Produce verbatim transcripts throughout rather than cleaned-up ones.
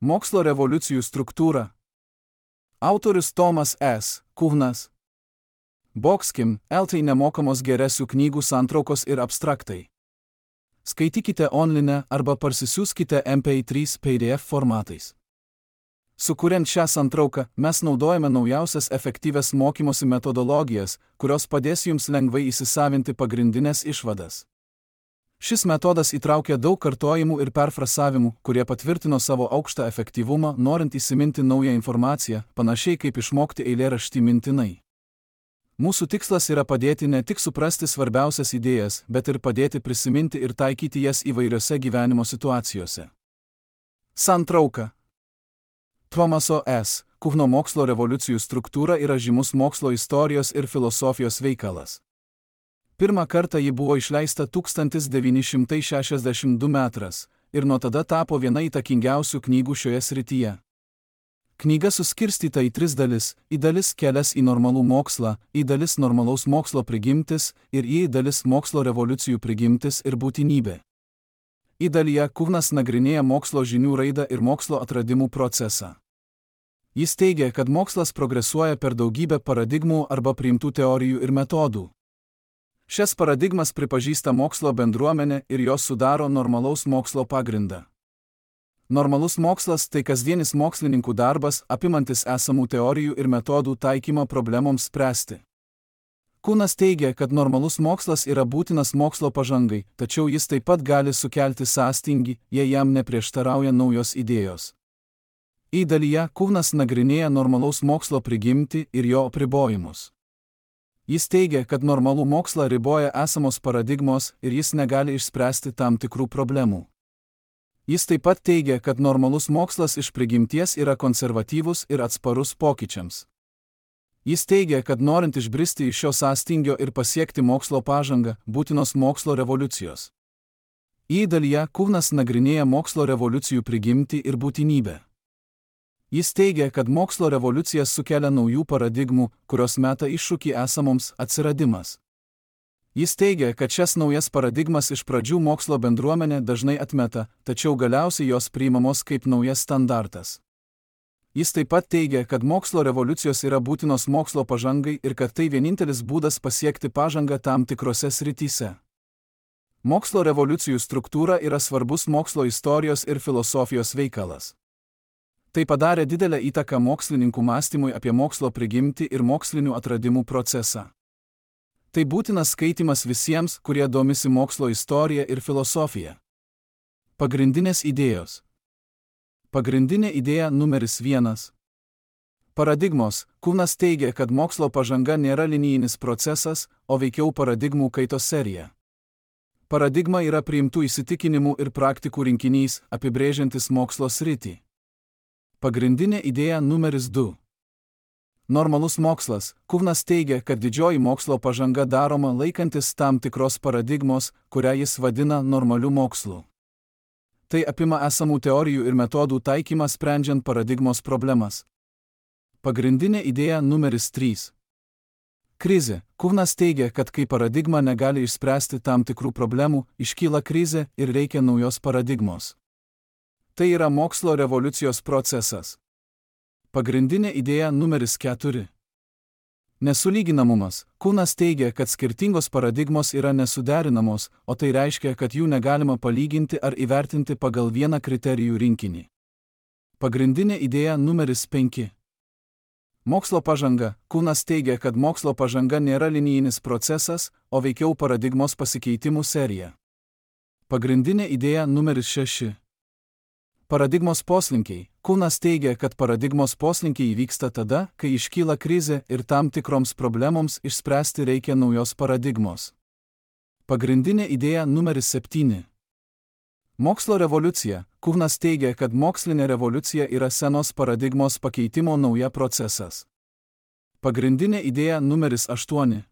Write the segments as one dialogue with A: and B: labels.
A: Mokslo revoliucijų struktūra. Autorius Tomas S. Kuhnas. Boxkim, eltai nemokamos geresių knygų santraukos ir abstraktai. Skaitykite online arba parsisiųskite M P trys P D F formatais. Sukuriant šią santrauką, mes naudojame naujausias efektyvias mokymosi metodologijas, kurios padės jums lengvai įsisavinti pagrindinės išvadas. Šis metodas įtraukia daug kartojimų ir perfrasavimų, kurie patvirtino savo aukštą efektyvumą, norint įsiminti naują informaciją, panašiai kaip išmokti eilėraštį mintinai. Mūsų tikslas yra padėti ne tik suprasti svarbiausias idėjas, bet ir padėti prisiminti ir taikyti jas įvairiose gyvenimo situacijose. Santrauka. Tomaso S. Kuhno mokslo revoliucijų struktūra yra žymus mokslo istorijos ir filosofijos veikalas. Pirmą kartą ji buvo išleista tūkstantis devyni šimtai šešiasdešimt du metras ir nuo tada tapo viena įtakingiausių knygų šioje srityje. Knyga suskirstyta į tris dalis: į dalis kelias į normalų mokslą, į dalis normalaus mokslo prigimtis ir į dalis mokslo revoliucijų prigimtis ir būtinybė. Į dalyje Kuhnas nagrinėja mokslo žinių raidą ir mokslo atradimų procesą. Jis teigia, kad mokslas progresuoja per daugybę paradigmų arba priimtų teorijų ir metodų. Šias paradigmas pripažįsta mokslo bendruomenė ir jos sudaro normalaus mokslo pagrindą. Normalus mokslas tai kasdienis mokslininkų darbas, apimantis esamų teorijų ir metodų taikymą problemoms spręsti. Kuhnas teigia, kad normalus mokslas yra būtinas mokslo pažangai, tačiau jis taip pat gali sukelti sąstingį, jei jam neprieštarauja naujos idėjos. Į dalyje Kuhnas nagrinėja normalaus mokslo prigimtį ir jo apribojimus. Jis teigia, kad normalų mokslą riboja esamos paradigmos ir jis negali išspręsti tam tikrų problemų. Jis taip pat teigia, kad normalus mokslas iš prigimties yra konservatyvus ir atsparus pokyčiams. Jis teigia, kad norint išbristi iš šio sąstingio ir pasiekti mokslo pažangą, būtinos mokslo revoliucijos. Į dalyje Kuhnas nagrinėja mokslo revoliucijų prigimtį ir būtinybę. Jis teigia, kad mokslo revoliucijas sukelia naujų paradigmų, kurios meta iššūkį esamoms atsiradimas. Jis teigia, kad šias naujas paradigmas iš pradžių mokslo bendruomenė dažnai atmeta, tačiau galiausiai jos priimamos kaip naujas standartas. Jis taip pat teigia, kad mokslo revoliucijos yra būtinos mokslo pažangai ir kad tai vienintelis būdas pasiekti pažangą tam tikrose srityse. Mokslo revoliucijų struktūra yra svarbus mokslo istorijos ir filosofijos veikalas. Tai padarė didelę įtaką mokslininkų mąstymui apie mokslo prigimtį ir mokslinių atradimų procesą. Tai būtinas skaitimas visiems, kurie domisi mokslo istorija ir filosofija. Pagrindinės idėjos. Pagrindinė idėja numeris vienas. Paradigmos. Kuhnas teigia, kad mokslo pažanga nėra linijinis procesas, o veikiau paradigmų kaitos serija. Paradigma yra priimtų įsitikinimų ir praktikų rinkinys, apibrėžiantis mokslo sritį. Pagrindinė idėja numeris du. Normalus mokslas. Kuhnas teigia, kad didžioji mokslo pažanga daroma laikantis tam tikros paradigmos, kurią jis vadina normaliu mokslu. Tai apima esamų teorijų ir metodų taikymą sprendžiant paradigmos problemas. Pagrindinė idėja numeris trys. Krizė. Kuhnas teigia, kad kai paradigma negali išspręsti tam tikrų problemų, iškyla krizė ir reikia naujos paradigmos. Tai yra mokslo revoliucijos procesas. Pagrindinė idėja numeris keturi. Nesulyginamumas. Kuhnas teigia, kad skirtingos paradigmos yra nesuderinamos, o tai reiškia, kad jų negalima palyginti ar įvertinti pagal vieną kriterijų rinkinį. Pagrindinė idėja numeris penki. Mokslo pažanga. Kuhnas teigia, kad mokslo pažanga nėra linijinis procesas, o veikiau paradigmos pasikeitimų serija. Pagrindinė idėja numeris šeši. Paradigmos poslinkiai. Kuhnas teigia, kad paradigmos poslinkiai įvyksta tada, kai iškyla krizė ir tam tikroms problemoms išspręsti reikia naujos paradigmos. Pagrindinė idėja numeris septyni. Mokslo revoliucija. Kuhnas teigia, kad mokslinė revoliucija yra senos paradigmos pakeitimo nauja procesas. Pagrindinė idėja numeris aštuoni.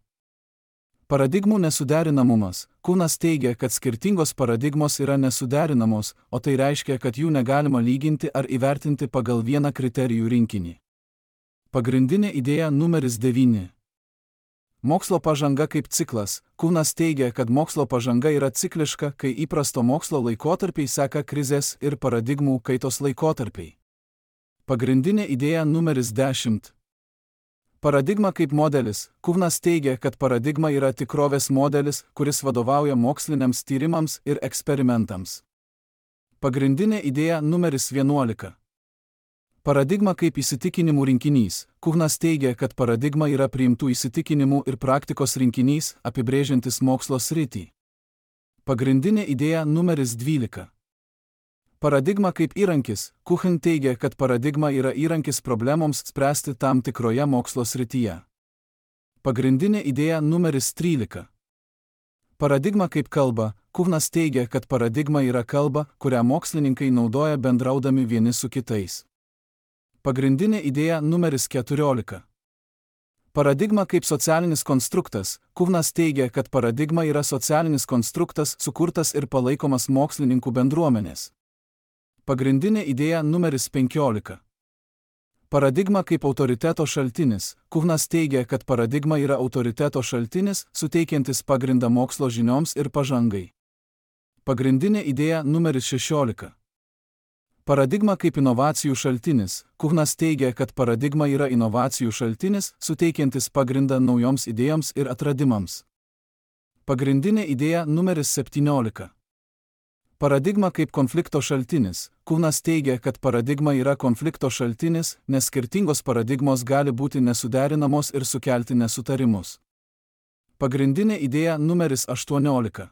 A: Paradigmų nesuderinamumas. Kuhnas teigia, kad skirtingos paradigmos yra nesuderinamos, o tai reiškia, kad jų negalima lyginti ar įvertinti pagal vieną kriterijų rinkinį. Pagrindinė idėja numeris devyni. Mokslo pažanga kaip ciklas. Kuhnas teigia, kad mokslo pažanga yra cikliška, kai įprasto mokslo laikotarpiai seka krizės ir paradigmų kaitos laikotarpiai. Pagrindinė idėja numeris dešimt. Paradigma kaip modelis. Kūnas teigia, kad paradigma yra tikrovės modelis, kuris vadovauja moksliniams tyrimams ir eksperimentams. Pagrindinė idėja numeris vienuolika. Paradigma kaip įsitikinimų rinkinys. Kūnas teigia, kad paradigma yra priimtų įsitikinimų ir praktikos rinkinys, apibrėžiantis mokslo sritį. Pagrindinė idėja numeris dvylika. Paradigma kaip įrankis. Kuchen teigia, kad paradigma yra įrankis problemoms spręsti tam tikroje mokslo srityje. Pagrindinė idėja numeris trylika. Paradigma kaip kalba. Kuchnas teigia, kad paradigma yra kalba, kurią mokslininkai naudoja bendraudami vieni su kitais. Pagrindinė idėja numeris keturiolika. Paradigma kaip socialinis konstruktas. Kuchnas teigia, kad paradigma yra socialinis konstruktas, sukurtas ir palaikomas mokslininkų bendruomenės. Pagrindinė idėja numeris penkiolika. Paradigma kaip autoriteto šaltinis. Kuchnas teigia, kad paradigma yra autoriteto šaltinis, suteikiantis pagrindą mokslo žinioms ir pažangai. Pagrindinė idėja numeris šešiolika. Paradigma kaip inovacijų šaltinis. Kuchnas teigia, kad paradigma yra inovacijų šaltinis, suteikiantis pagrindą naujoms idėjoms ir atradimams. Pagrindinė idėja numeris septyniolika. Paradigma kaip konflikto šaltinis. Kuchnas teigia, kad paradigma yra konflikto šaltinis, nes skirtingos paradigmos gali būti nesuderinamos ir sukelti nesutarimus. Pagrindinė idėja numeris aštuoniolika.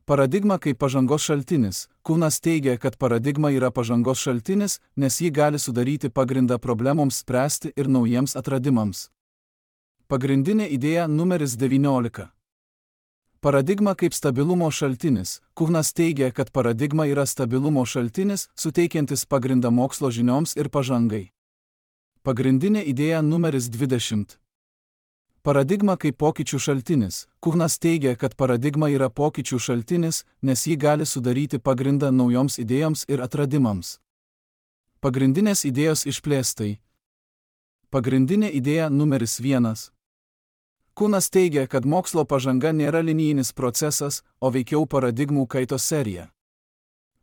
A: Paradigma kaip pažangos šaltinis. Kuchnas teigia, kad paradigma yra pažangos šaltinis, nes ji gali sudaryti pagrindą problemoms spręsti ir naujiems atradimams. Pagrindinė idėja numeris devyniolika. Paradigma kaip stabilumo šaltinis. Kuchnas teigia, kad paradigma yra stabilumo šaltinis, suteikiantis pagrindą mokslo žinioms ir pažangai. Pagrindinė idėja numeris dvidešimt. Paradigma kaip pokyčių šaltinis. Kuchnas teigia, kad paradigma yra pokyčių šaltinis, nes ji gali sudaryti pagrindą naujoms idėjoms ir atradimams. Pagrindinės idėjos išplėstai. Pagrindinė idėja numeris vienas. Kuchnas teigia, kad mokslo pažanga nėra linijinis procesas, o veikiau paradigmų kaitos serija.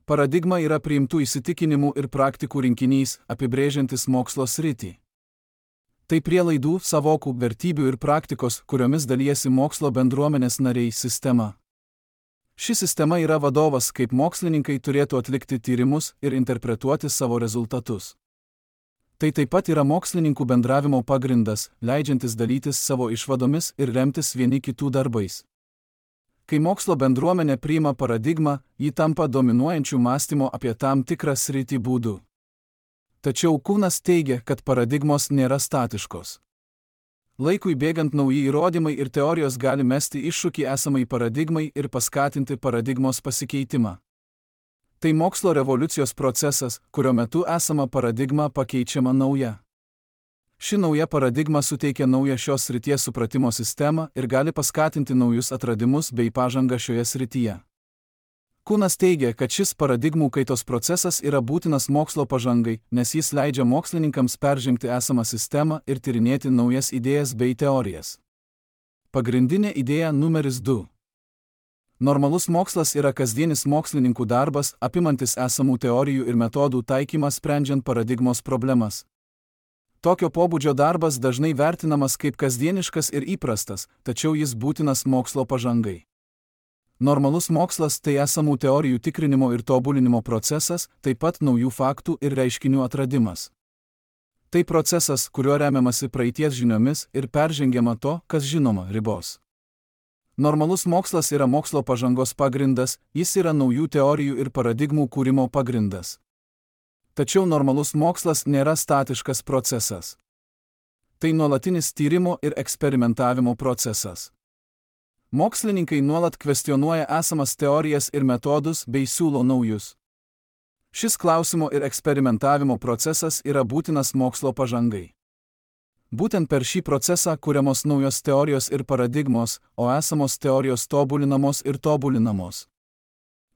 A: Paradigma yra priimtų įsitikinimų ir praktikų rinkinys, apibrėžiantis mokslo sritį. Tai prielaidų, savokų, vertybių ir praktikos, kuriomis dalijasi mokslo bendruomenės nariai sistema. Ši sistema yra vadovas, kaip mokslininkai turėtų atlikti tyrimus ir interpretuoti savo rezultatus. Tai taip pat yra mokslininkų bendravimo pagrindas, leidžiantis dalytis savo išvadomis ir remtis vieni kitų darbais. Kai mokslo bendruomenė priima paradigmą, ji tampa dominuojančių mąstymo apie tam tikrą sritį būdų. Tačiau Kuchnas teigia, kad paradigmos nėra statiškos. Laikui bėgant nauji įrodymai ir teorijos gali mesti iššūkį esamai paradigmai ir paskatinti paradigmos pasikeitimą. Tai mokslo revoliucijos procesas, kurio metu esama paradigma pakeičiama nauja. Ši nauja paradigma suteikia naują šios srities supratimo sistemą ir gali paskatinti naujus atradimus bei pažangą šioje srityje. Kuchnas teigia, kad šis paradigmų kaitos procesas yra būtinas mokslo pažangai, nes jis leidžia mokslininkams peržengti esamą sistemą ir tyrinėti naujas idėjas bei teorijas. Pagrindinė idėja numeris du. Normalus mokslas yra kasdienis mokslininkų darbas, apimantis esamų teorijų ir metodų taikymą sprendžiant paradigmos problemas. Tokio pobūdžio darbas dažnai vertinamas kaip kasdieniškas ir įprastas, tačiau jis būtinas mokslo pažangai. Normalus mokslas tai esamų teorijų tikrinimo ir tobulinimo procesas, taip pat naujų faktų ir reiškinių atradimas. Tai procesas, kuriuo remiamasi praeities žiniomis ir peržengiama to, kas žinoma, ribos. Normalus mokslas yra mokslo pažangos pagrindas, jis yra naujų teorijų ir paradigmų kūrimo pagrindas. Tačiau normalus mokslas nėra statiškas procesas. Tai nuolatinis tyrimo ir eksperimentavimo procesas. Mokslininkai nuolat kvestionuoja esamas teorijas ir metodus bei siūlo naujus. Šis klausimo ir eksperimentavimo procesas yra būtinas mokslo pažangai. Būtent per šį procesą kuriamos naujos teorijos ir paradigmos, o esamos teorijos tobulinamos ir tobulinamos.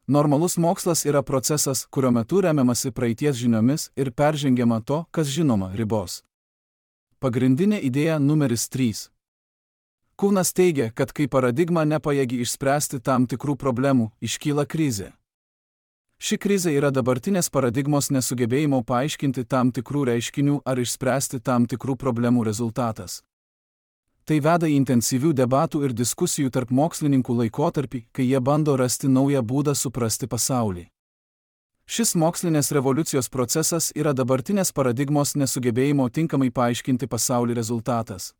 A: Normalus mokslas yra procesas, kurio metu remiamasi praeities žiniomis ir peržengiama to, kas žinoma, ribos. Pagrindinė idėja numeris trys. Kuchnas teigia, kad kai paradigma nepajėgi išspręsti tam tikrų problemų, iškyla krizė. Ši krizė yra dabartinės paradigmos nesugebėjimo paaiškinti tam tikrų reiškinių ar išspręsti tam tikrų problemų rezultatas. Tai veda į intensyvių debatų ir diskusijų tarp mokslininkų laikotarpį, kai jie bando rasti naują būdą suprasti pasaulį. Šis mokslinės revoliucijos procesas yra dabartinės paradigmos nesugebėjimo tinkamai paaiškinti pasaulį rezultatas.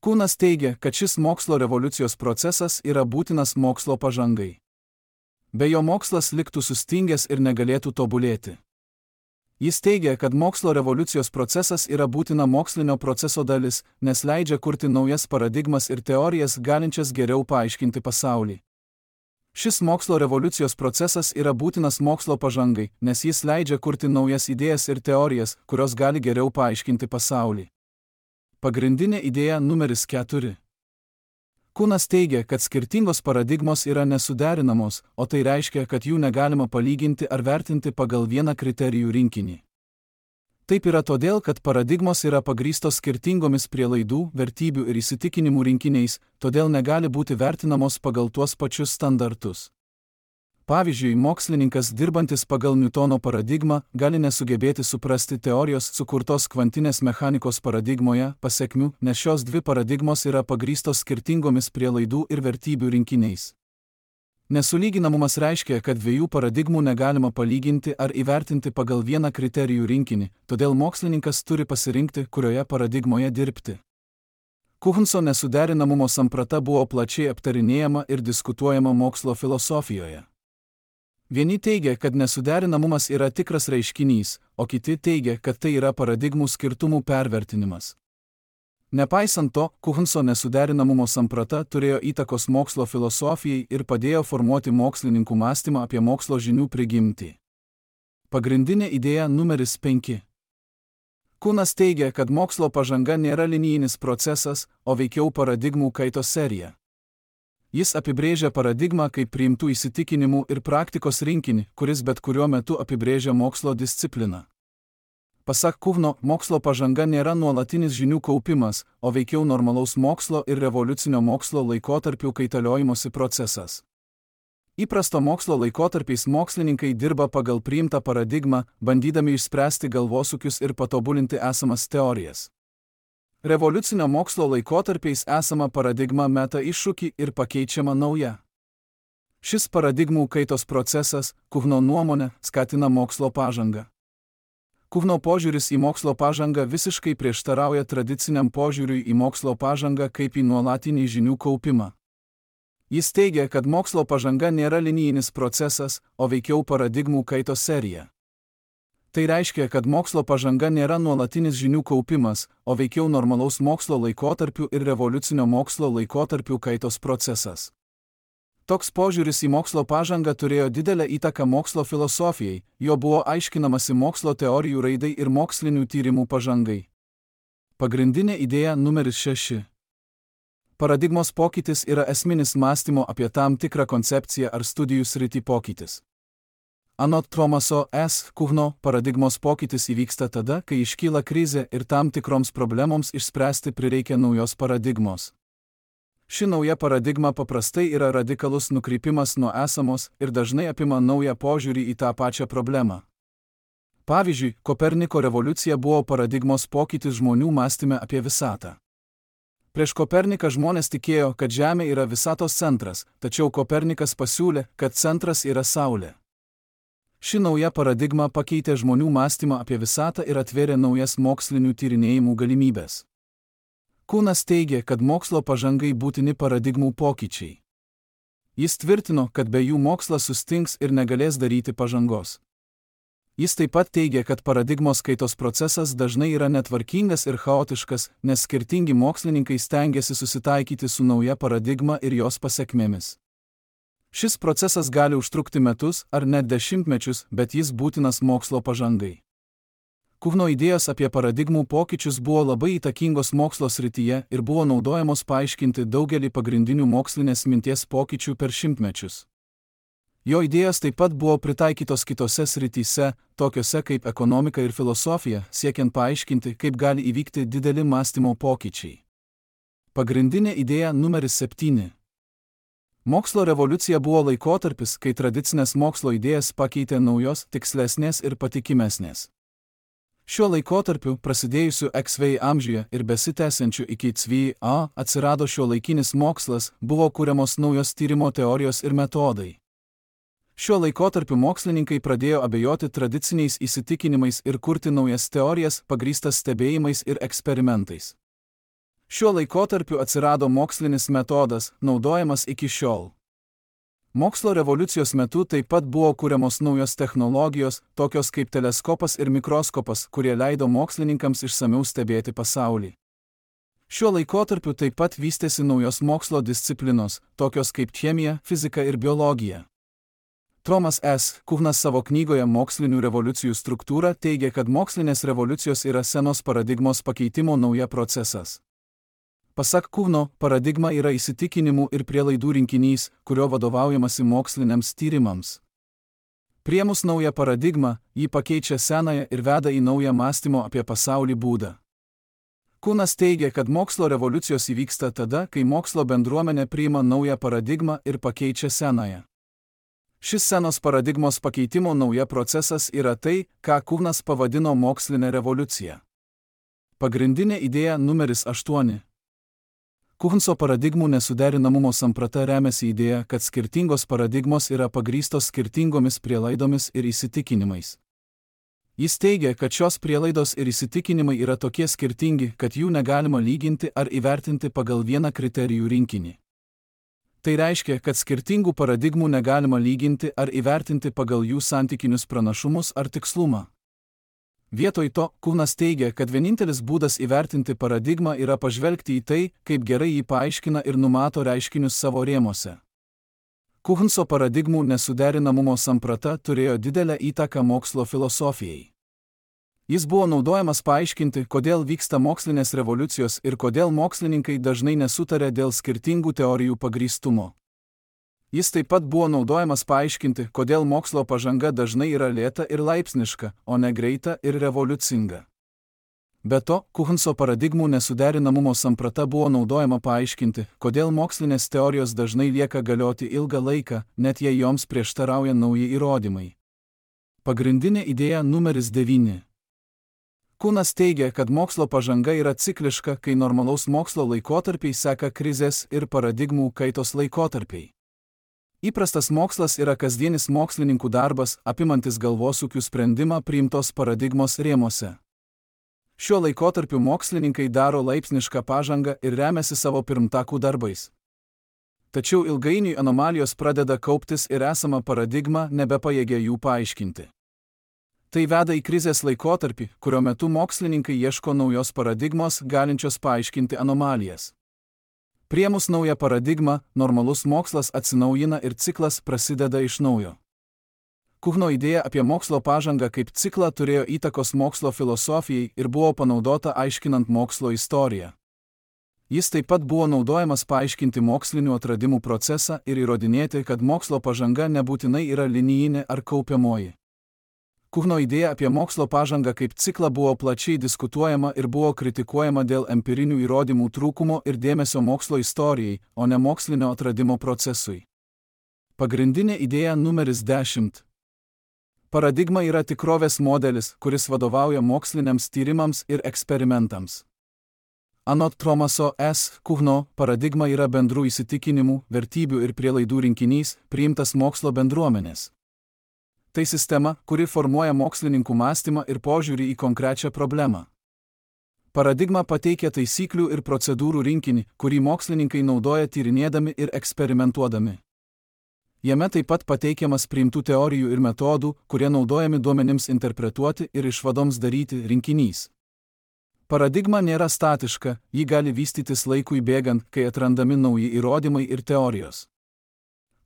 A: Kunas teigia, kad šis mokslo revoliucijos procesas yra būtinas mokslo pažangai. Be jo mokslas liktų sustingęs ir negalėtų tobulėti. Jis teigia, kad mokslo revoliucijos procesas yra būtina mokslinio proceso dalis, nes leidžia kurti naujas paradigmas ir teorijas galinčias geriau paaiškinti pasaulį. Šis mokslo revoliucijos procesas yra būtinas mokslo pažangai, nes jis leidžia kurti naujas idėjas ir teorijas, kurios gali geriau paaiškinti pasaulį. Pagrindinė idėja numeris keturi. Kunas teigia, kad skirtingos paradigmos yra nesuderinamos, o tai reiškia, kad jų negalima palyginti ar vertinti pagal vieną kriterijų rinkinį. Taip yra todėl, kad paradigmos yra pagrįstos skirtingomis prielaidų, vertybių ir įsitikinimų rinkiniais, todėl negali būti vertinamos pagal tuos pačius standartus. Pavyzdžiui, mokslininkas dirbantis pagal Niutono paradigmą gali nesugebėti suprasti teorijos sukurtos kvantinės mechanikos paradigmoje pasekmių, nes šios dvi paradigmos yra pagrįstos skirtingomis prielaidų ir vertybių rinkiniais. Nesulyginamumas reiškia, kad dviejų paradigmų negalima palyginti ar įvertinti pagal vieną kriterijų rinkinį, todėl mokslininkas turi pasirinkti, kurioje paradigmoje dirbti. Kuhnso nesuderinamumo samprata buvo plačiai aptarinėjama ir diskutuojama mokslo filosofijoje. Vieni teigia, kad nesuderinamumas yra tikras reiškinys, o kiti teigia, kad tai yra paradigmų skirtumų pervertinimas. Nepaisant to, Kuhnso nesuderinamumo samprata turėjo įtakos mokslo filosofijai ir padėjo formuoti mokslininkų mąstymą apie mokslo žinių prigimtį. Pagrindinė idėja numeris penki. Kunas teigia, kad mokslo pažanga nėra linijinis procesas, o veikiau paradigmų kaitos serija. Jis apibrėžia paradigmą kaip priimtų įsitikinimų ir praktikos rinkinį, kuris bet kuriuo metu apibrėžia mokslo discipliną. Pasak Kuhno, mokslo pažanga nėra nuolatinis žinių kaupimas, o veikiau normalaus mokslo ir revoliucinio mokslo laikotarpių kaitaliojimosi procesas. Įprasto mokslo laikotarpiais mokslininkai dirba pagal priimtą paradigmą, bandydami išspręsti galvosūkius ir patobulinti esamas teorijas. Revoliucinio mokslo laikotarpiais esama paradigma meta iššūkį ir pakeičiama nauja. Šis paradigmų kaitos procesas, Kuhno nuomonė, skatina mokslo pažangą. Kuhno požiūris į mokslo pažangą visiškai prieštarauja tradiciniam požiūriui į mokslo pažangą kaip į nuolatinį žinių kaupimą. Jis teigia, kad mokslo pažanga nėra linijinis procesas, o veikiau paradigmų kaitos serija. Tai reiškia, kad mokslo pažanga nėra nuolatinis žinių kaupimas, o veikiau normalaus mokslo laikotarpių ir revoliucinio mokslo laikotarpių kaitos procesas. Toks požiūris į mokslo pažangą turėjo didelę įtaką mokslo filosofijai, jo buvo aiškinamasi mokslo teorijų raidai ir mokslinių tyrimų pažangai. Pagrindinė idėja numeris šeši. Paradigmos pokytis yra esminis mąstymo apie tam tikrą koncepciją ar studijų sritį pokytis. Anot Thomaso S. Kuhno, paradigmos pokytis įvyksta tada, kai iškyla krizė ir tam tikroms problemoms išspręsti prireikia naujos paradigmos. Ši nauja paradigma paprastai yra radikalus nukrypimas nuo esamos ir dažnai apima naują požiūrį į tą pačią problemą. Pavyzdžiui, Koperniko revoliucija buvo paradigmos pokytis žmonių mąstyme apie visatą. Prieš Koperniką žmonės tikėjo, kad Žemė yra visatos centras, tačiau Kopernikas pasiūlė, kad centras yra Saulė. Ši nauja paradigma pakeitė žmonių mąstymą apie visatą ir atvėrė naujas mokslinių tyrinėjimų galimybės. Kunas teigia, kad mokslo pažangai būtini paradigmų pokyčiai. Jis tvirtino, kad be jų mokslas sustings ir negalės daryti pažangos. Jis taip pat teigia, kad paradigmos kaitos procesas dažnai yra netvarkingas ir chaotiškas, nes skirtingi mokslininkai stengiasi susitaikyti su nauja paradigma ir jos pasekmėmis. Šis procesas gali užtrukti metus ar net dešimtmečius, bet jis būtinas mokslo pažangai. Kuhno idėjos apie paradigmų pokyčius buvo labai įtakingos mokslo srityje ir buvo naudojamos paaiškinti daugelį pagrindinių mokslinės minties pokyčių per šimtmečius. Jo idėjos taip pat buvo pritaikytos kitose srityse, tokiose kaip ekonomika ir filosofija, siekiant paaiškinti, kaip gali įvykti dideli mąstymo pokyčiai. Pagrindinė idėja numeris septyni. Mokslo revoliucija buvo laikotarpis, kai tradicinės mokslo idėjas pakeitė naujos, tikslesnės ir patikimesnės. Šiuo laikotarpiu, prasidėjusiu X V amžiuje ir besitęsiančiu iki C V A, atsirado šiuolaikinis mokslas, buvo kuriamos naujos tyrimo teorijos ir metodai. Šiuo laikotarpiu mokslininkai pradėjo abejoti tradiciniais įsitikinimais ir kurti naujas teorijas, pagrįstas stebėjimais ir eksperimentais. Šiuo laikotarpiu atsirado mokslinis metodas, naudojamas iki šiol. Mokslo revoliucijos metu taip pat buvo kuriamos naujos technologijos, tokios kaip teleskopas ir mikroskopas, kurie leido mokslininkams išsamiau stebėti pasaulį. Šiuo laikotarpiu taip pat vystėsi naujos mokslo disciplinos, tokios kaip chemija, fizika ir biologija. Thomas S. Kuhnas savo knygoje Mokslinių revoliucijų struktūra teigia, kad mokslinės revoliucijos yra senos paradigmos pakeitimo nauja procesas. Pasak Kuhno, paradigma yra įsitikinimų ir prielaidų rinkinys, kurio vadovaujamasi moksliniams tyrimams. Priėmus naują paradigmą, ji pakeičia senąją ir veda į naują mąstymo apie pasaulį būdą. Kuhnas teigia, kad mokslo revoliucijos įvyksta tada, kai mokslo bendruomenė priima naują paradigmą ir pakeičia senąją. Šis senos paradigmos pakeitimo nauja procesas yra tai, ką Kuhnas pavadino mokslinė revoliucija. Pagrindinė idėja numeris aštuoni. Kuhnso paradigmų nesuderinamumo samprata remiasi idėja, kad skirtingos paradigmos yra pagrįstos skirtingomis prielaidomis ir įsitikinimais. Jis teigia, kad šios prielaidos ir įsitikinimai yra tokie skirtingi, kad jų negalima lyginti ar įvertinti pagal vieną kriterijų rinkinį. Tai reiškia, kad skirtingų paradigmų negalima lyginti ar įvertinti pagal jų santykinius pranašumus ar tikslumą. Vietoj to, Kuhnas teigia, kad vienintelis būdas įvertinti paradigmą yra pažvelgti į tai, kaip gerai jį paaiškina ir numato reiškinius savo rėmuose. Kuhnso paradigmų nesuderinamumo samprata turėjo didelę įtaką mokslo filosofijai. Jis buvo naudojamas paaiškinti, kodėl vyksta mokslinės revoliucijos ir kodėl mokslininkai dažnai nesutarė dėl skirtingų teorijų pagrįstumo. Jis taip pat buvo naudojamas paaiškinti, kodėl mokslo pažanga dažnai yra lėta ir laipsniška, o ne greita ir revoliucinga. Be to, Kuhnso paradigmų nesuderinamumo samprata buvo naudojama paaiškinti, kodėl mokslinės teorijos dažnai lieka galioti ilgą laiką, net jei joms prieštarauja nauji įrodymai. Pagrindinė idėja numeris devyni. Kuhnas teigia, kad mokslo pažanga yra cikliška, kai normalaus mokslo laikotarpiai seka krizės ir paradigmų kaitos laikotarpiai. Įprastas mokslas yra kasdienis mokslininkų darbas, apimantis galvosūkių sprendimą priimtos paradigmos rėmuose. Šiuo laikotarpiu mokslininkai daro laipsnišką pažangą ir remiasi savo pirmtakų darbais. Tačiau ilgainiui anomalijos pradeda kauptis ir esama paradigma nebepajėgia jų paaiškinti. Tai veda į krizės laikotarpį, kurio metu mokslininkai ieško naujos paradigmos, galinčios paaiškinti anomalijas. Priėmus naują paradigmą, normalus mokslas atsinaujina ir ciklas prasideda iš naujo. Kuhno idėja apie mokslo pažangą kaip ciklą turėjo įtakos mokslo filosofijai ir buvo panaudota aiškinant mokslo istoriją. Jis taip pat buvo naudojamas paaiškinti mokslinių atradimų procesą ir įrodinėti, kad mokslo pažanga nebūtinai yra linijinė ar kaupiamoji. Kuhno idėja apie mokslo pažangą kaip ciklą buvo plačiai diskutuojama ir buvo kritikuojama dėl empirinių įrodymų trūkumo ir dėmesio mokslo istorijai, o ne mokslinio atradimo procesui. Pagrindinė idėja numeris dešimt. Paradigma yra tikrovės modelis, kuris vadovauja moksliniams tyrimams ir eksperimentams. Anot Thomaso S. Kuhno, paradigma yra bendrų įsitikinimų, vertybių ir prielaidų rinkinys, priimtas mokslo bendruomenės. Tai sistema, kuri formuoja mokslininkų mąstymą ir požiūrį į konkrečią problemą. Paradigma pateikia taisyklių ir procedūrų rinkinį, kurį mokslininkai naudoja tyrinėdami ir eksperimentuodami. Jame taip pat pateikiamas priimtų teorijų ir metodų, kurie naudojami duomenims interpretuoti ir išvadoms daryti rinkinys. Paradigma nėra statiška, ji gali vystytis laikui bėgant, kai atrandami nauji įrodymai ir teorijos.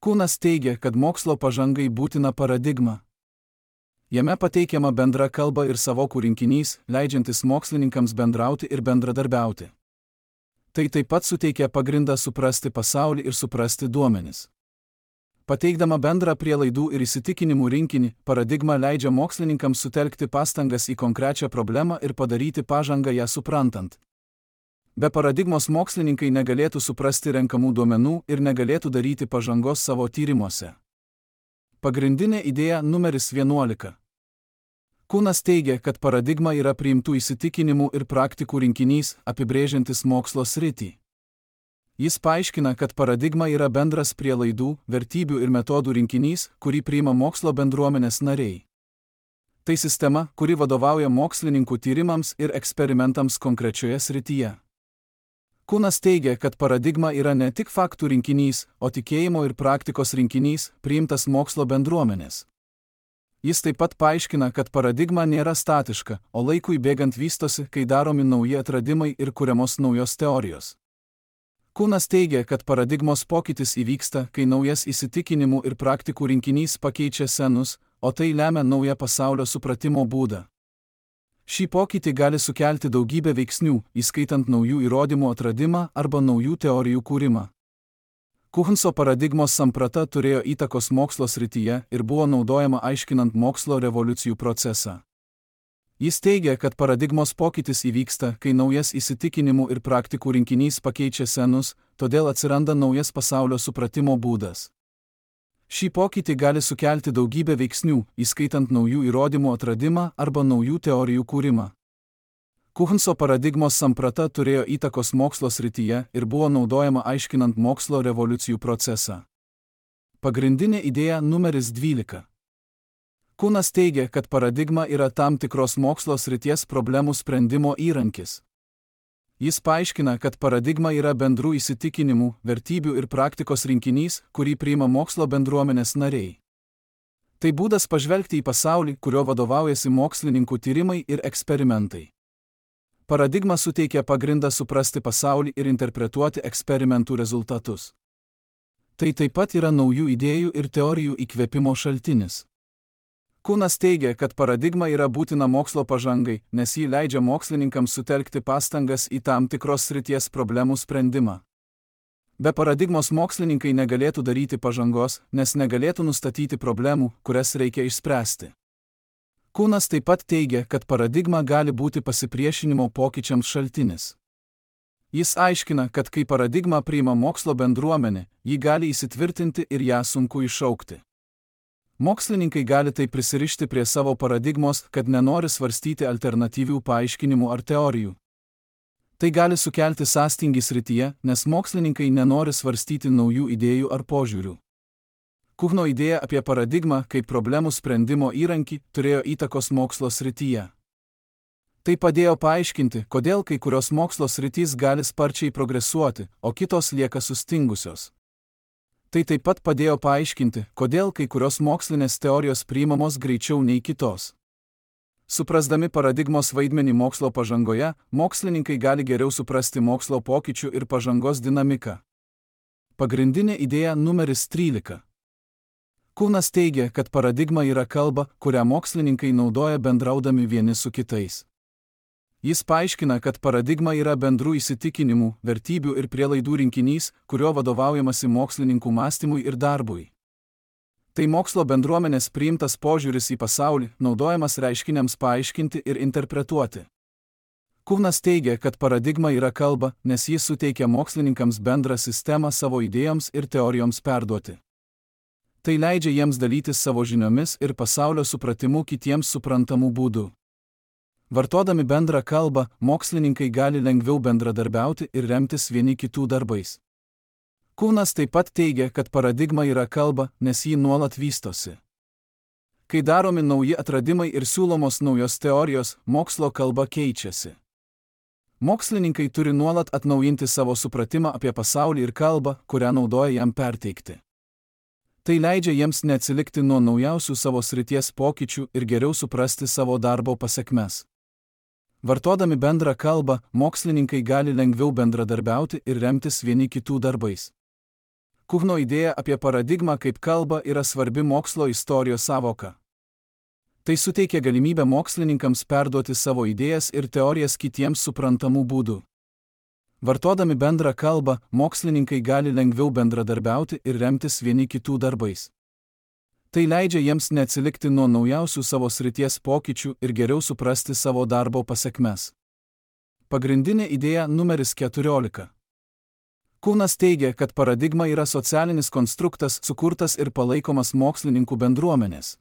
A: Kuhnas teigia, kad mokslo pažangai būtina paradigma. Jame pateikiama bendra kalba ir sąvokų rinkinys, leidžiantis mokslininkams bendrauti ir bendradarbiauti. Tai taip pat suteikia pagrindą suprasti pasaulį ir suprasti duomenis. Pateikdama bendrą prielaidų ir įsitikinimų rinkinį, paradigma leidžia mokslininkams sutelkti pastangas į konkrečią problemą ir padaryti pažangą ją suprantant. Be paradigmos mokslininkai negalėtų suprasti renkamų duomenų ir negalėtų daryti pažangos savo tyrimuose. Pagrindinė idėja numeris vienuolika. Kunas teigia, kad paradigma yra priimtų įsitikinimų ir praktikų rinkinys, apibrėžiantis mokslo sritį. Jis paaiškina, kad paradigma yra bendras prielaidų, vertybių ir metodų rinkinys, kurį priima mokslo bendruomenės nariai. Tai sistema, kuri vadovauja mokslininkų tyrimams ir eksperimentams konkrečioje srityje. Kunas teigia, kad paradigma yra ne tik faktų rinkinys, o tikėjimo ir praktikos rinkinys, priimtas mokslo bendruomenės. Jis taip pat paaiškina, kad paradigma nėra statiška, o laikui bėgant vystosi, kai daromi nauji atradimai ir kuriamos naujos teorijos. Kunas teigia, kad paradigmos pokytis įvyksta, kai naujas įsitikinimų ir praktikų rinkinys pakeičia senus, o tai lemia naują pasaulio supratimo būdą. Šį pokytį gali sukelti daugybę veiksnių, įskaitant naujų įrodymų atradimą arba naujų teorijų kūrimą. Kuhnso paradigmos samprata turėjo įtakos mokslo srityje ir buvo naudojama aiškinant mokslo revoliucijų procesą. Jis teigia, kad paradigmos pokytis įvyksta, kai naujas įsitikinimų ir praktikų rinkinys pakeičia senus, todėl atsiranda naujas pasaulio supratimo būdas. Šį pokytį gali sukelti daugybę veiksnių, įskaitant naujų įrodymų atradimą arba naujų teorijų kūrimą. Kuhnso paradigmos samprata turėjo įtakos mokslo srityje ir buvo naudojama aiškinant mokslo revoliucijų procesą. Pagrindinė idėja numeris dvylika. Kunas teigia, kad paradigma yra tam tikros mokslo srities problemų sprendimo įrankis. Jis paaiškina, kad paradigma yra bendrų įsitikinimų, vertybių ir praktikos rinkinys, kurį priima mokslo bendruomenės nariai. Tai būdas pažvelgti į pasaulį, kurio vadovaujasi mokslininkų tyrimai ir eksperimentai. Paradigma suteikia pagrindą suprasti pasaulį ir interpretuoti eksperimentų rezultatus. Tai taip pat yra naujų idėjų ir teorijų įkvėpimo šaltinis. Kunas teigia, kad paradigma yra būtina mokslo pažangai, nes ji leidžia mokslininkams sutelkti pastangas į tam tikros srities problemų sprendimą. Be paradigmos mokslininkai negalėtų daryti pažangos, nes negalėtų nustatyti problemų, kurias reikia išspręsti. Kunas taip pat teigia, kad paradigma gali būti pasipriešinimo pokyčiams šaltinis. Jis aiškina, kad kai paradigma priima mokslo bendruomenė, ji gali įsitvirtinti ir ją sunku iššaukti. Mokslininkai gali tai prisirišti prie savo paradigmos, kad nenori svarstyti alternatyvių paaiškinimų ar teorijų. Tai gali sukelti sąstingį srityje, nes mokslininkai nenori svarstyti naujų idėjų ar požiūrių. Kuhno idėja apie paradigmą kaip problemų sprendimo įrankį turėjo įtakos mokslo srityje. Tai padėjo paaiškinti, kodėl kai kurios mokslo sritys gali sparčiai progresuoti, o kitos lieka sustingusios. Tai taip pat padėjo paaiškinti, kodėl kai kurios mokslinės teorijos priimamos greičiau nei kitos. Suprasdami paradigmos vaidmenį mokslo pažangoje, mokslininkai gali geriau suprasti mokslo pokyčių ir pažangos dinamiką. Pagrindinė idėja numeris trylika. Kunas teigia, kad paradigma yra kalba, kurią mokslininkai naudoja bendraudami vieni su kitais. Jis paaiškina, kad paradigma yra bendrų įsitikinimų, vertybių ir prielaidų rinkinys, kurio vadovaujamasi mokslininkų mąstymui ir darbui. Tai mokslo bendruomenės priimtas požiūris į pasaulį, naudojamas reiškiniams paaiškinti ir interpretuoti. Kunas teigia, kad paradigma yra kalba, nes jis suteikia mokslininkams bendrą sistemą savo idėjoms ir teorijoms perduoti. Tai leidžia jiems dalytis savo žiniomis ir pasaulio supratimu kitiems suprantamų būdų. Vartodami bendrą kalbą, mokslininkai gali lengviau bendradarbiauti ir remtis vieni kitų darbais. Kunas taip pat teigia, kad paradigma yra kalba, nes ji nuolat vystosi. Kai daromi nauji atradimai ir siūlomos naujos teorijos, mokslo kalba keičiasi. Mokslininkai turi nuolat atnaujinti savo supratimą apie pasaulį ir kalbą, kurią naudoja jam perteikti. Tai leidžia jiems neatsilikti nuo naujausių savo srities pokyčių ir geriau suprasti savo darbo pasekmes. Vartodami bendrą kalbą, mokslininkai gali lengviau bendradarbiauti ir remtis vieni kitų darbais. Kuhno idėja apie paradigmą kaip kalbą yra svarbi mokslo istorijos sąvoka. Tai suteikia galimybę mokslininkams perduoti savo idėjas ir teorijas kitiems suprantamų būdų. Vartodami bendrą kalbą, mokslininkai gali lengviau bendradarbiauti ir remtis vieni kitų darbais. Tai leidžia jiems neatsilikti nuo naujausių savo srities pokyčių ir geriau suprasti savo darbo pasekmes. Pagrindinė idėja numeris keturiolika. Kuhnas teigia, kad paradigma yra socialinis konstruktas sukurtas ir palaikomas mokslininkų bendruomenės.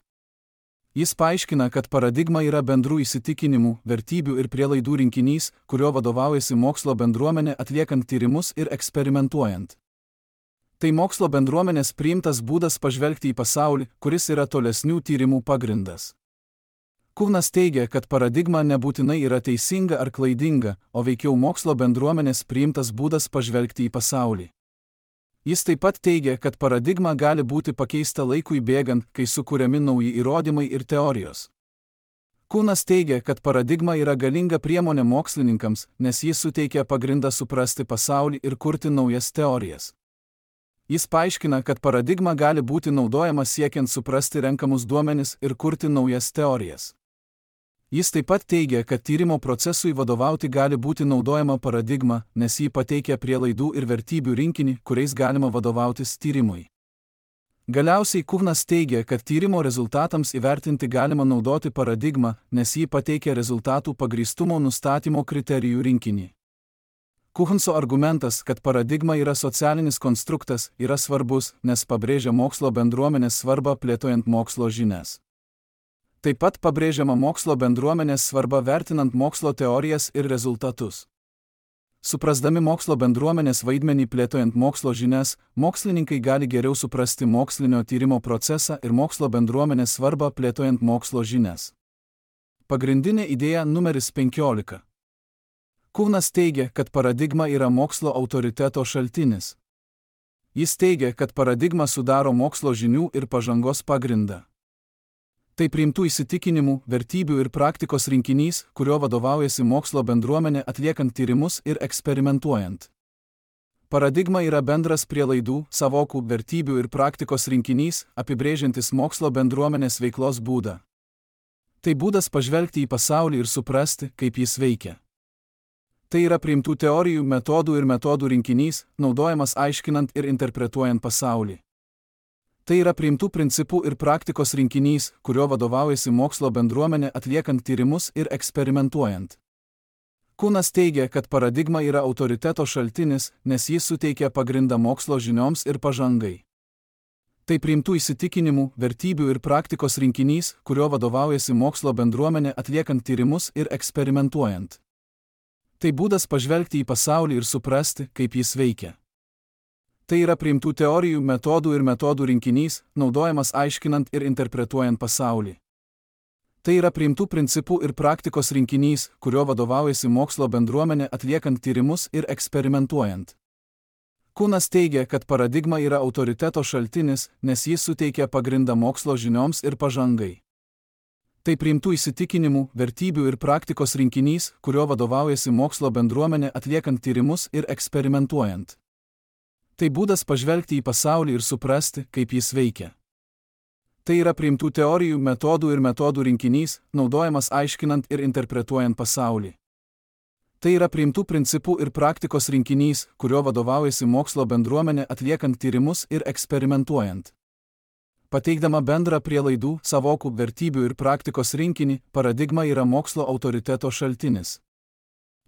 A: Jis paaiškina, kad paradigma yra bendrų įsitikinimų, vertybių ir prielaidų rinkinys, kurio vadovaujasi mokslo bendruomenė atliekant tyrimus ir eksperimentuojant. Tai mokslo bendruomenės priimtas būdas pažvelgti į pasaulį, kuris yra tolesnių tyrimų pagrindas. Kuhnas teigia, kad paradigma nebūtinai yra teisinga ar klaidinga, o veikiau mokslo bendruomenės priimtas būdas pažvelgti į pasaulį. Jis taip pat teigia, kad paradigma gali būti pakeista laikui bėgant, kai sukuriami nauji įrodymai ir teorijos. Kuhnas teigia, kad paradigma yra galinga priemonė mokslininkams, nes jis suteikia pagrindą suprasti pasaulį ir kurti naujas teorijas. Jis paaiškina, kad paradigma gali būti naudojama siekiant suprasti renkamus duomenis ir kurti naujas teorijas. Jis taip pat teigia, kad tyrimo procesui vadovauti gali būti naudojama paradigma, nes jį pateikia prielaidų ir vertybių rinkinį, kuriais galima vadovautis tyrimui. Galiausiai Kuhnas teigia, kad tyrimo rezultatams įvertinti galima naudoti paradigmą, nes jį pateikia rezultatų pagrįstumo nustatymo kriterijų rinkinį. Kuhnso argumentas, kad paradigma yra socialinis konstruktas, yra svarbus, nes pabrėžia mokslo bendruomenės svarbą plėtojant mokslo žinias. Taip pat pabrėžiama mokslo bendruomenės svarba vertinant mokslo teorijas ir rezultatus. Suprasdami mokslo bendruomenės vaidmenį plėtojant mokslo žinias, mokslininkai gali geriau suprasti mokslinio tyrimo procesą ir mokslo bendruomenės svarbą plėtojant mokslo žinias. Pagrindinė idėja numeris penkiolika. Kuhnas teigia, kad paradigma yra mokslo autoriteto šaltinis. Jis teigia, kad paradigma sudaro mokslo žinių ir pažangos pagrindą. Tai priimtų įsitikinimų, vertybių ir praktikos rinkinys, kurio vadovaujasi mokslo bendruomenė atliekant tyrimus ir eksperimentuojant. Paradigma yra bendras prielaidų, savokų, vertybių ir praktikos rinkinys, apibrėžiantis mokslo bendruomenės veiklos būdą. Tai būdas pažvelgti į pasaulį ir suprasti, kaip jis veikia. Tai yra priimtų teorijų, metodų ir metodų rinkinys, naudojamas aiškinant ir interpretuojant pasaulį. Tai yra priimtų principų ir praktikos rinkinys, kurio vadovaujasi mokslo bendruomenė atliekant tyrimus ir eksperimentuojant. Kuhnas teigia, kad paradigma yra autoriteto šaltinis, nes jis suteikia pagrindą mokslo žinioms ir pažangai. Tai priimtų įsitikinimų, vertybių ir praktikos rinkinys, kurio vadovaujasi mokslo bendruomenė atliekant tyrimus ir eksperimentuojant. Tai būdas pažvelgti į pasaulį ir suprasti, kaip jis veikia. Tai yra priimtų teorijų, metodų ir metodų rinkinys, naudojamas aiškinant ir interpretuojant pasaulį. Tai yra priimtų principų ir praktikos rinkinys, kurio vadovaujasi mokslo bendruomenė atliekant tyrimus ir eksperimentuojant. Kuhnas teigia, kad paradigma yra autoriteto šaltinis, nes jis suteikia pagrindą mokslo žinioms ir pažangai. Tai priimtų įsitikinimų, vertybių ir praktikos rinkinys, kurio vadovaujasi mokslo bendruomenė atliekant tyrimus ir eksperimentuojant. Tai būdas pažvelgti į pasaulį ir suprasti, kaip jis veikia. Tai yra priimtų teorijų, metodų ir metodų rinkinys, naudojamas aiškinant ir interpretuojant pasaulį. Tai yra priimtų principų ir praktikos rinkinys, kurio vadovaujasi mokslo bendruomenė atliekant tyrimus ir eksperimentuojant. Pateikdama bendrą prielaidų, savokų, vertybių ir praktikos rinkinį, paradigma yra mokslo autoriteto šaltinis.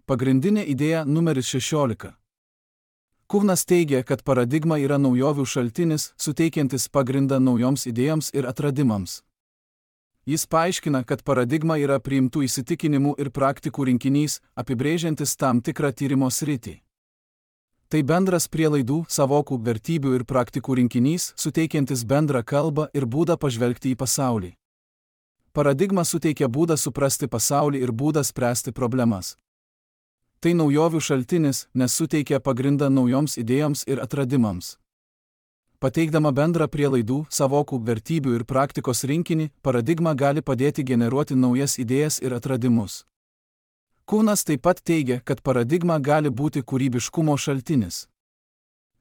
A: Pagrindinė idėja numeris šešiolika. Kuhnas teigia, kad paradigma yra naujovių šaltinis, suteikiantis pagrindą naujoms idėjoms ir atradimams. Jis paaiškina, kad paradigma yra priimtų įsitikinimų ir praktikų rinkinys, apibrėžiantis tam tikrą tyrimo sritį. Tai bendras prielaidų, savokų, vertybių ir praktikų rinkinys, suteikiantis bendrą kalbą ir būdą pažvelgti į pasaulį. Paradigma suteikia būdą suprasti pasaulį ir būdą spręsti problemas. Tai naujovių šaltinis, nes suteikia pagrindą naujoms idėjoms ir atradimams. Pateikdama bendrą prielaidų, savokų, vertybių ir praktikos rinkinį, paradigma gali padėti generuoti naujas idėjas ir atradimus. Kuhnas taip pat teigia, kad paradigma gali būti kūrybiškumo šaltinis.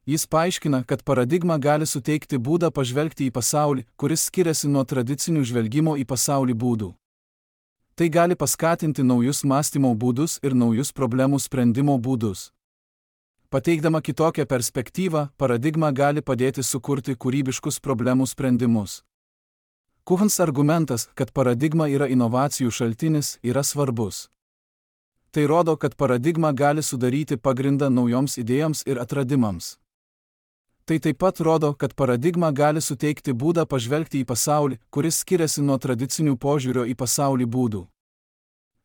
A: Jis paaiškina, kad paradigma gali suteikti būdą pažvelgti į pasaulį, kuris skiriasi nuo tradicinių žvelgimo į pasaulį būdų. Tai gali paskatinti naujus mąstymo būdus ir naujus problemų sprendimo būdus. Pateikdama kitokią perspektyvą, paradigma gali padėti sukurti kūrybiškus problemų sprendimus. Kuhns argumentas, kad paradigma yra inovacijų šaltinis, yra svarbus. Tai rodo, kad paradigma gali sudaryti pagrindą naujoms idėjoms ir atradimams. Tai taip pat rodo, kad paradigma gali suteikti būdą pažvelgti į pasaulį, kuris skiriasi nuo tradicinių požiūrio į pasaulį būdų.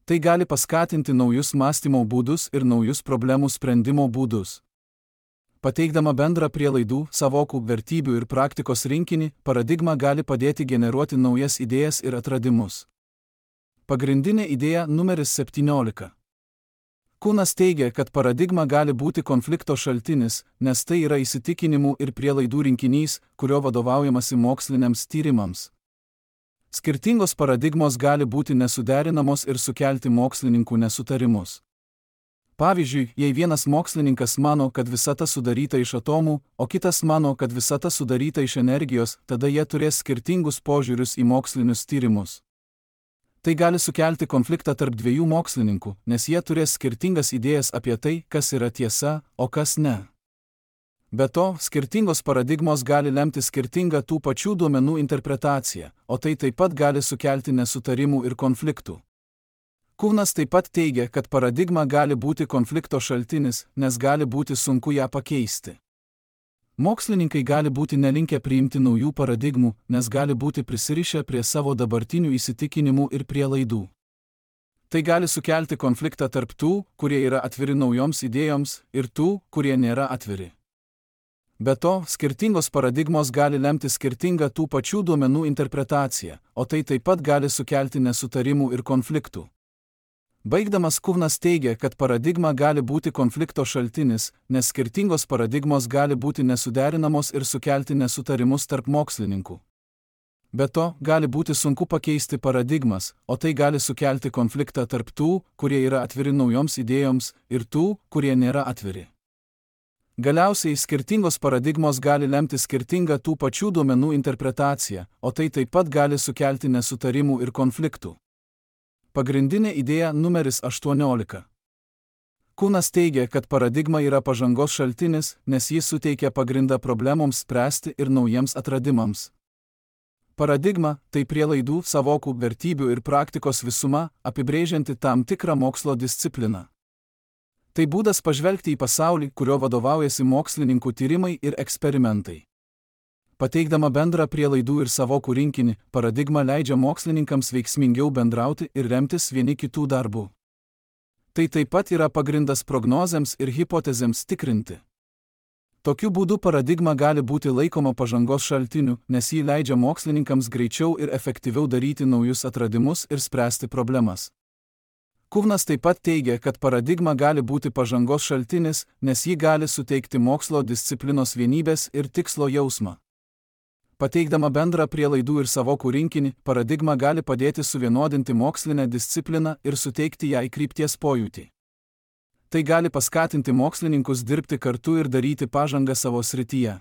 A: Tai gali paskatinti naujus mąstymo būdus ir naujus problemų sprendimo būdus. Pateikdama bendrą prielaidų, savokų, vertybių ir praktikos rinkinį, paradigma gali padėti generuoti naujas idėjas ir atradimus. Pagrindinė idėja numeris septyniolika. Kunas teigia, kad paradigma gali būti konflikto šaltinis, nes tai yra įsitikinimų ir prielaidų rinkinys, kurio vadovaujamasi moksliniams tyrimams. Skirtingos paradigmos gali būti nesuderinamos ir sukelti mokslininkų nesutarimus. Pavyzdžiui, jei vienas mokslininkas mano, kad visata sudaryta iš atomų, o kitas mano, kad visata sudaryta iš energijos, tada jie turės skirtingus požiūrius į mokslinius tyrimus. Tai gali sukelti konfliktą tarp dviejų mokslininkų, nes jie turės skirtingas idėjas apie tai, kas yra tiesa, o kas ne. Be to, skirtingos paradigmos gali lemti skirtingą tų pačių duomenų interpretaciją, o tai taip pat gali sukelti nesutarimų ir konfliktų. Kunas taip pat teigia, kad paradigma gali būti konflikto šaltinis, nes gali būti sunku ją pakeisti. Mokslininkai gali būti nelinkę priimti naujų paradigmų, nes gali būti prisirišę prie savo dabartinių įsitikinimų ir prielaidų. Tai gali sukelti konfliktą tarp tų, kurie yra atviri naujoms idėjoms, ir tų, kurie nėra atviri. Be to, skirtingos paradigmos gali lemti skirtingą tų pačių duomenų interpretaciją, o tai taip pat gali sukelti nesutarimų ir konfliktų. Baigdamas Kunas teigia, kad paradigma gali būti konflikto šaltinis, nes skirtingos paradigmos gali būti nesuderinamos ir sukelti nesutarimus tarp mokslininkų. Be to, gali būti sunku pakeisti paradigmas, o tai gali sukelti konfliktą tarp tų, kurie yra atviri naujoms idėjoms, ir tų, kurie nėra atviri. Galiausiai, skirtingos paradigmos gali lemti skirtingą tų pačių duomenų interpretaciją, o tai taip pat gali sukelti nesutarimų ir konfliktų. Pagrindinė idėja numeris aštuoniolika. Kunas teigia, kad paradigma yra pažangos šaltinis, nes jis suteikia pagrindą problemoms spręsti ir naujiems atradimams. Paradigma – tai prielaidų, savokų, vertybių ir praktikos visuma, apibrėžianti tam tikrą mokslo discipliną. Tai būdas pažvelgti į pasaulį, kurio vadovaujasi mokslininkų tyrimai ir eksperimentai. Pateikdama bendrą prielaidų ir savokų rinkinį, paradigma leidžia mokslininkams veiksmingiau bendrauti ir remtis vieni kitų darbų. Tai taip pat yra pagrindas prognozėms ir hipotezėms tikrinti. Tokiu būdu paradigma gali būti laikoma pažangos šaltiniu, nes ji leidžia mokslininkams greičiau ir efektyviau daryti naujus atradimus ir spręsti problemas. Kunas taip pat teigia, kad paradigma gali būti pažangos šaltinis, nes ji gali suteikti mokslo disciplinos vienybės ir tikslo jausmą. Pateikdama bendrą prielaidų ir savokų rinkinį, paradigma gali padėti suvienodinti mokslinę discipliną ir suteikti jai krypties pojūtį. Tai gali paskatinti mokslininkus dirbti kartu ir daryti pažangą savo srityje.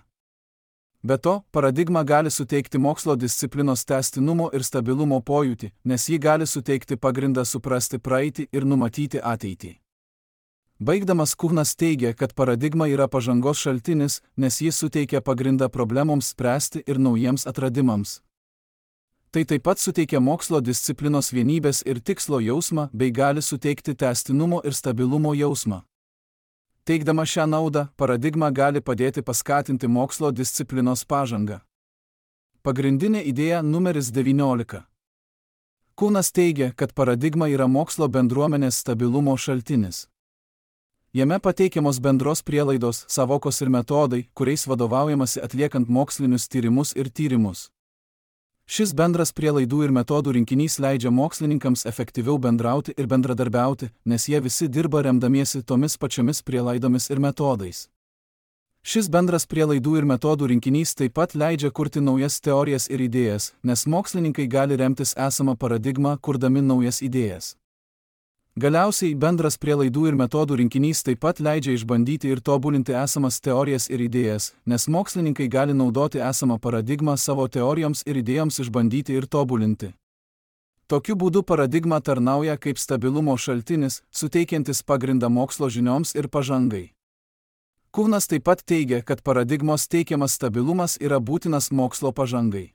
A: Be to, paradigma gali suteikti mokslo disciplinos tęstinumo ir stabilumo pojūtį, nes ji gali suteikti pagrindą suprasti praeitį ir numatyti ateitį. Baigdamas Kunas teigia, kad paradigma yra pažangos šaltinis, nes jis suteikia pagrindą problemoms spręsti ir naujiems atradimams. Tai taip pat suteikia mokslo disciplinos vienybės ir tikslo jausmą bei gali suteikti tęstinumo ir stabilumo jausmą. Teikdama šią naudą, paradigma gali padėti paskatinti mokslo disciplinos pažangą. Pagrindinė idėja numeris devyniolika. Kunas teigia, kad paradigma yra mokslo bendruomenės stabilumo šaltinis. Jame pateikiamos bendros prielaidos, savokos ir metodai, kuriais vadovaujamasi atliekant mokslinius tyrimus ir tyrimus. Šis bendras prielaidų ir metodų rinkinys leidžia mokslininkams efektyviau bendrauti ir bendradarbiauti, nes jie visi dirba remdamiesi tomis pačiomis prielaidomis ir metodais. Šis bendras prielaidų ir metodų rinkinys taip pat leidžia kurti naujas teorijas ir idėjas, nes mokslininkai gali remtis esamą paradigmą, kurdami naujas idėjas. Galiausiai, bendras prielaidų ir metodų rinkinys taip pat leidžia išbandyti ir tobulinti esamas teorijas ir idėjas, nes mokslininkai gali naudoti esamą paradigmą savo teorijoms ir idėjoms išbandyti ir tobulinti. Tokiu būdu paradigma tarnauja kaip stabilumo šaltinis, suteikiantis pagrindą mokslo žinioms ir pažangai. Kunas taip pat teigia, kad paradigmos teikiamas stabilumas yra būtinas mokslo pažangai.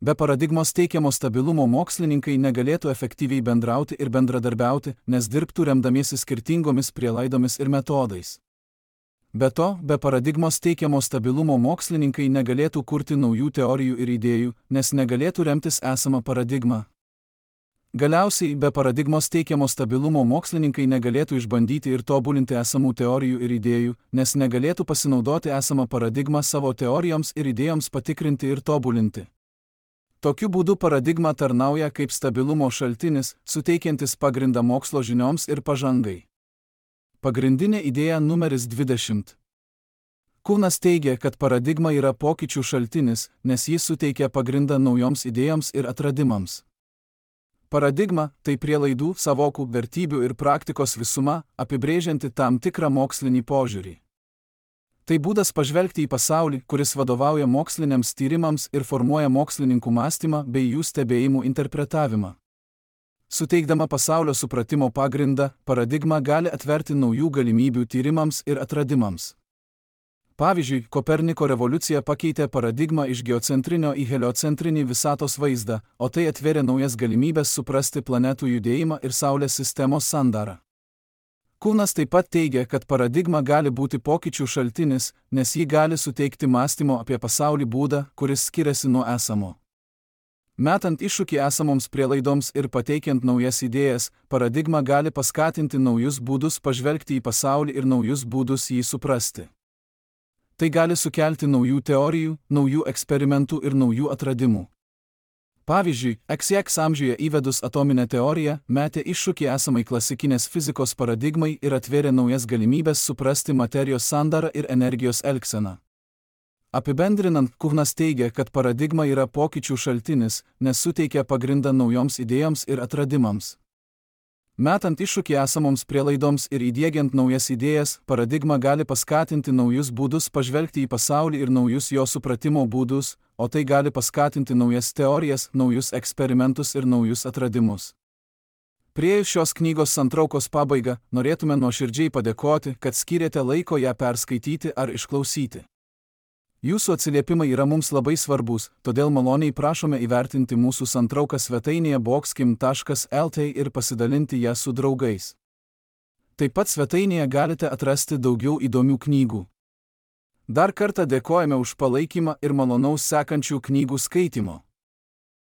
A: Be paradigmos teikiamo stabilumo mokslininkai negalėtų efektyviai bendrauti ir bendradarbiauti, nes dirbtų remdamiesi skirtingomis prielaidomis ir metodais. Be to, be paradigmos teikiamo stabilumo mokslininkai negalėtų kurti naujų teorijų ir idėjų, nes negalėtų remtis esamą paradigmą. Galiausiai, be paradigmos teikiamo stabilumo mokslininkai negalėtų išbandyti ir tobulinti esamų teorijų ir idėjų, nes negalėtų pasinaudoti esamą paradigmą savo teorijoms ir idėjoms patikrinti ir tobulinti. Tokiu būdu paradigma tarnauja kaip stabilumo šaltinis, suteikiantis pagrindą mokslo žinioms ir pažangai. Pagrindinė idėja numeris dvidešimt. Kuhnas teigia, kad paradigma yra pokyčių šaltinis, nes jis suteikia pagrindą naujoms idėjoms ir atradimams. Paradigma – tai prielaidų, savokų, vertybių ir praktikos visuma, apibrėžianti tam tikrą mokslinį požiūrį. Tai būdas pažvelgti į pasaulį, kuris vadovauja moksliniams tyrimams ir formuoja mokslininkų mąstymą bei jų stebėjimų interpretavimą. Suteikdama pasaulio supratimo pagrindą, paradigma gali atverti naujų galimybių tyrimams ir atradimams. Pavyzdžiui, Koperniko revoliucija pakeitė paradigmą iš geocentrinio į heliocentrinį visatos vaizdą, o tai atvėrė naujas galimybės suprasti planetų judėjimą ir Saulės sistemos sandarą. Kuhnas taip pat teigia, kad paradigma gali būti pokyčių šaltinis, nes ji gali suteikti mąstymo apie pasaulį būdą, kuris skiriasi nuo esamo. Metant iššūkį esamoms prielaidoms ir pateikiant naujas idėjas, paradigma gali paskatinti naujus būdus pažvelgti į pasaulį ir naujus būdus jį suprasti. Tai gali sukelti naujų teorijų, naujų eksperimentų ir naujų atradimų. Pavyzdžiui, X X amžiuje įvedus atominę teoriją, metė iššūkį esamai klasikinės fizikos paradigmai ir atvėrė naujas galimybės suprasti materijos sandarą ir energijos elgseną. Apibendrinant, Kuhnas teigia, kad paradigma yra pokyčių šaltinis, nes suteikia pagrindą naujoms idėjoms ir atradimams. Metant iššūkį esamoms prielaidoms ir įdiegiant naujas idėjas, paradigma gali paskatinti naujus būdus pažvelgti į pasaulį ir naujus jo supratimo būdus, o tai gali paskatinti naujas teorijas, naujus eksperimentus ir naujus atradimus. Priėjus šios knygos santraukos pabaigą, norėtume nuoširdžiai padėkoti, kad skyrėte laiko ją perskaityti ar išklausyti. Jūsų atsiliepimai yra mums labai svarbus, todėl maloniai prašome įvertinti mūsų santrauką svetainėje boxkim taškas el t ir pasidalinti ją su draugais. Taip pat svetainėje galite atrasti daugiau įdomių knygų. Dar kartą dėkojame už palaikymą ir malonaus sekančių knygų skaitymo.